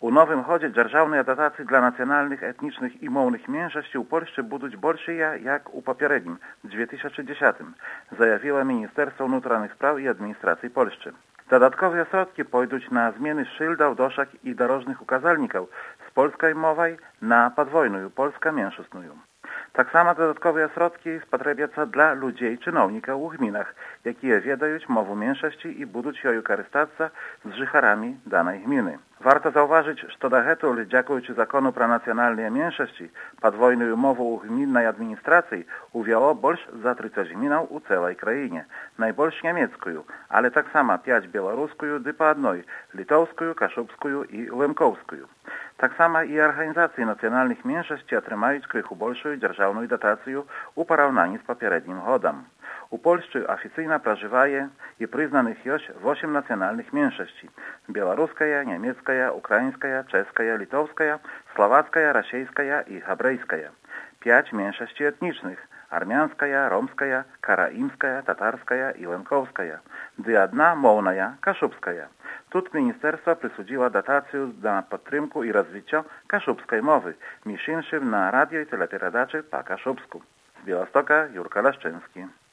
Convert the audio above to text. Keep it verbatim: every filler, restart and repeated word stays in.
У новым годзе дзяржаўныя датацыі для нацыянальных, этнічных і моўных меншасцей у Польшчы будуць большыя, як у папярэднім, две тысячы дзесятым, заявіла Міністэрства ўнутраных спраў і адміністрацыі Польшчы. Дадатковыя сродкі пойдуць на змены шыльдаў, дошак і дарожных указальнікаў з польскай мовай на падвойную польска-меншасную. Таксама дадатковыя сродкі спатрэбяцца для людзей, чыноўнікаў у гмінах, якія ведаюць мову меншасці і будуць ёю карыстацца з жыхарамі данай гміны. Варта заўважыць, што дагэтуль, дзякуючы закону пра нацыянальныя меншасці, падвойную мову ў гміннай адміністрацыі увяло больш за трыццаць гмінаў у цэлай краіне. Найбольш нямецкую, але таксама пяць беларускую ды па адной літоўскую, кашубскую і лэмкоўскую. Таксама і арганізацыі нацыянальных меншасцей атрымаюць крыху большую дзяржаўную датацыю ў параўнанні з папярэднім годам. У Польшчы афіцыйна пражывае і прызнаных ёсць восем нацыянальных меншасцей: беларуская, нямецкая, украінская, чэшская, літоўская, славацкая, расейская і габрэйская. Пяць меншасцей этнічных: армянская, ромская, караімская, татарская і лэмкоўская. Ды адна моўная, кашубская. Тут міністэрства прысудзіла датацыю на падтрымку і развіццё кашубскай мовы, між іншым на радыё і тэлеперадачы па-кашубску. З Беластока Юрка Лашчынскі.